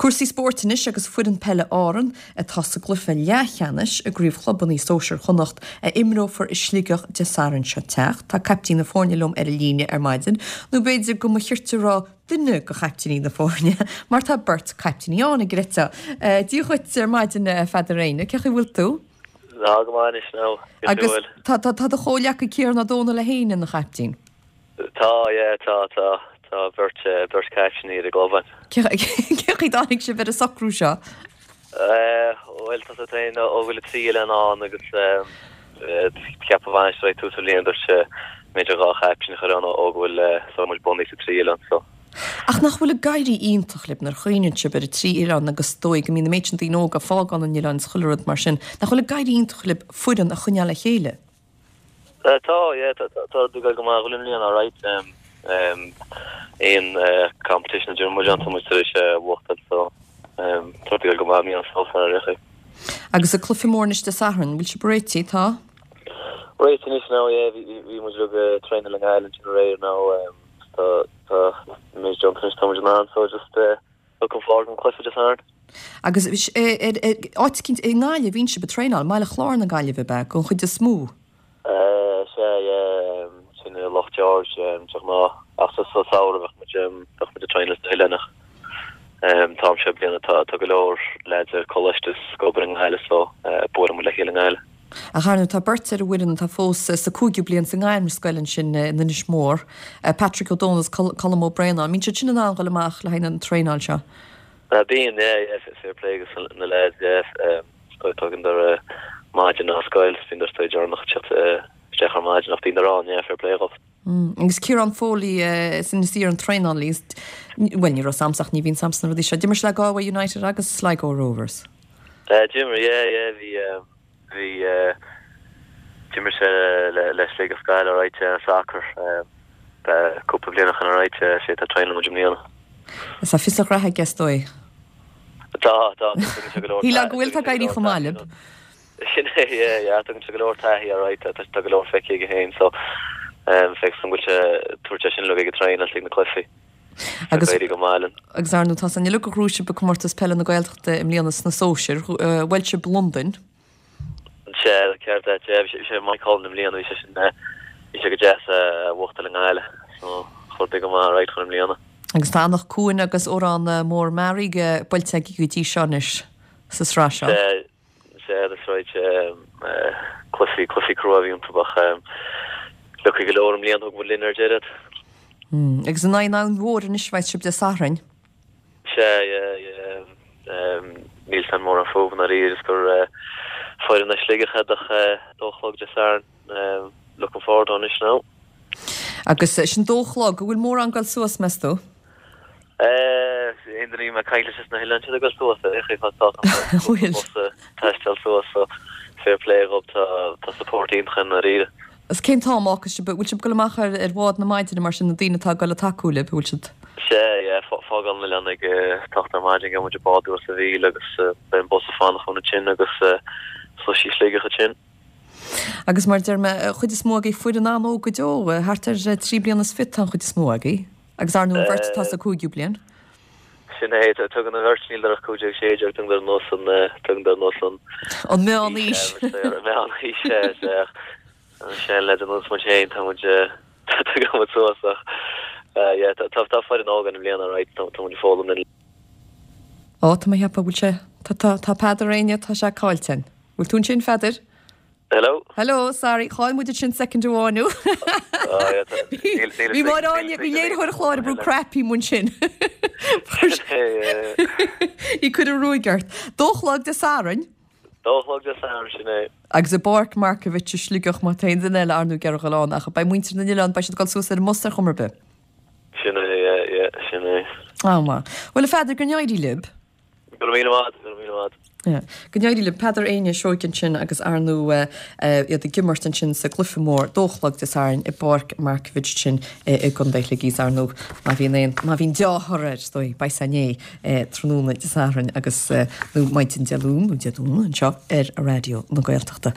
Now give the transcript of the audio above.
Cúrsaí spóirt anois agus foireann peile Árann atá sa gcluiche leathcheannais i gCraobh Chlubanna Sóisir Chonnacht a imreofar i Sligeach Dé Sathairn seo teacht. Tá caiptín na foirne liom ar an líne ar maidin, nó b'fhéidir go mba chirte a rá duine de chaiptíní na foirne, mar tá beirt caiptíní ann, an gcreidfeá. Dia dhuit ar maidin a Pheadair Éinne, cén chaoi a bhfuil tú? Tá go maith anois now, Agus tá tá do chomhghleacaí Ciarán Ó Dónaill é féin ina chaiptín. Tá, yeah, tá, tá, tá beirt, beirt caiptíní ar an gclub againn. Cén chaoi a dtáinig sibh ar an socrú seo? Bhuel, tá sé féin ó bhfuil an trí oileán ann agus cheap an bhainisteoir ag tús an bhliain dúirt sé b'fhéidir dhá chaiptín a chur ann ó go bhfuil so muid bunaithe sa trí oileán so. Ach nach bhfuil ag éirí iontach libh nuair a chuimhníonn sibh ar an trí oileán agus is dóigh go mbíonn an méid sin daoine óga ag fágáil na n-oileán is chuile rud mar sin, nach bhfuil ag éirí iontach libh foireann a choinneáil le chéile? Tá, yeah, tá tá ag dul go maith i mbliana, alright. Aon competition a d'imir muid ann, tá muid tar éis a bhuachtáil, so tá ag dul go maith i mbliana so far, ar aon chaoi. Agus an cluiche mór anois Dé Sathairn, bhfuil sibh réitithe? Tá? Réitithe anois now, yeah, bhí bhí muid uilig ag traenáil i nGaillimh ansin aréir now, tá tá muid déanta anois, tá muid in ann, so just looking forward don cluiche Dé Sathairn. Agus ar áit eicínt i nGaillimh a bhíonn sibh ag traenáil, i mBaile Chláir na Gaillimhe ab ea, don chuid is mó? Sea, yeah, sin i Loch George de ghnáth, ach sa samhradh bheadh muid, bheadh muid ag traenáil sna hoileáin ach an t-am seo bliana tá, tá go leor leaids ar coláiste is ag obair i nGaillimh so buaileann muid le chéile i nGaillimh. Ach ar ndóigh tá beirt ar an bhfoireann atá fós sa cúigiú bliain sa ngairmscoil ansin in Inis Mór, Patrick Ó Dónaill is Colm Ó Braonáin. Mbíonn siad sin in ann dhul amach le haghaidh na traenáil seo? Bíonn, yeah, yeah, fair play dos na lads, yeah, tógann maidin as scoil, bíonn siad deireanach ag teacht isteach ar maidin ach bíonn ann, yeah, fair play dhóibh. Agus Ciarán Foley is Inis Oírr an traenálaí, bhuel ní raibh 's a'msa ach ní bhíonn 's a'msa na rudaí seo. D'imir sé le Galway United agus Sligo Rovers. D'imir, yeah, yeah, bhí, bhí, d'imir sé le Sligeach Gaillimh alright, sacar, cúpla bliain ó shin alright, sé atá ag traenáil muid i mbliana. Tá fios a ghraithe aige is dóigh. Tá, tá, tugann sé go leor. Shílfeá go bhfuil tá ag éirí chomh maith libh. Sin é, yeah, yeah, tugann sé go leor taithí alright, tá go leor feicthe aige féin so feicfidh an bhfuil sé ag tabhairt é sin uilig ag an traenáil ag na cluichí. Agus éirí go maith linn. Agus ar ndóigh tá san uilig gur ghnóthaigh sibh i gcomórtas peile na Gaeltachta i mbliana sna sóisir, bhuail sibh Londain. Sea, ceart é, yeah, bhí sé Mike Cullen i mbliana, bhí sé sin, bhí sé go deas a bhuachtáil i nGaillimh, so chuir go maith alright chun i mbliana. Agus tá Anach Cuain agus Órán Mór Mearaí buailte agaibh go dtí seo anois sa sraith seo. Sea, Sea, that's right. Cluichí, cluichí crua a bhí iontu ach lucky go leor i mbliana thug muid linn ar deireadh. Agus in aghaidh an Abhainn Mhóir anois a bheas sibh Dé Sathairn. Sea, yeah, yeah. Níl 's a'm mórán fúthu i ndáiríre is gur foireann as Sligeach iad ach dó a chlog Dé Sathairn. Looking forward to anois now. Agus sin dó a chlog, an bhfuil mórán ag goil suas, meas tú? Aon duine a bhí mé ag caint leis sna hoileáin siad ag goil suas ar aon chaoi tá Bhfuil. bus ag taisteal suas so fair play dhób tá tá support iontach i ndáiríre. Agus cén t-am a fhágfas sibh, bhfuil sibh ag goil amach ar ar bhád na maidine mar sin na daoine atá ag goil ag tacú libh, bhfuil siad? Sea, yeah, fágáil an oileán ag a hocht ar maidin, gheobhaidh muid an bád uair sa mhíle agus beidh an bus ag fanacht fúinn ansin agus suas Sligeach ansin. Agus mar a deir mé, an chuid is mó agaibh foireann an-óg go deo, thart ar trí bliana is fiche tá an chuid is mó agaibh. Agus ar ndóigh an bheirt atá sa cúigiú bliain. Sin é, tugann an bheirt, níl ach 15, 16, tugann ar nós an, tugann ar nós an. An meán-aois. An meán-aois, sea, sea. An seanleaid ar nós muid féin, tá muid, tagann muid suas ach, yeah, tá, tá foireann óg ann i mbliana, right, tá muid ag foghlaim linn. Ó, tá mé ag ceapadh, bhfuil sé, tá, tá, tá Peadar Éinne, tá sé caillte againn. Bhfuil tú ansin, Pheadair? Hello? Hello, sorry, chaill muid ansin soicind amháin thú. Bhí Máire Áine, bhí léiritheoir an chláir ag brú cnaipí ansin. Í ag cur an ruaig ort. Dó a chlog Dé Sathairn. Dó a chlog Dé Sathairn, sin é. Agus i bPáirc Markievicz i Sligeach, má tá aon duine eile ar ndóigh ag iarraidh a dhul ann, ach beidh muintir na n-oileán, beidh siad ag dul suas ar an mbus ar chuma ar bith. Sin é, yeah, yeah, sin é. Á, maith. Bhuel, a Pheadair, go n-éirí libh. Go raibh míle maith agat, go raibh míle maith agat. Yeah. Go n-éirí libh. Peadar Éinne Seoige ansin agus ar ndóigh iad ag imirt ansin sa gcluiche mór dó a chlog Dé Sathairn i bPáirc Markievicz sin i gContae Shligigh is ar ndóigh má bhíonn aon, má bhíonn deá-thoradh air is dóigh beidh sé inné tráthnóna Dé Sathairn agus nó maidin Dé Luain nó Dé Domhnaigh anseo ar Raidió na Gaeltachta.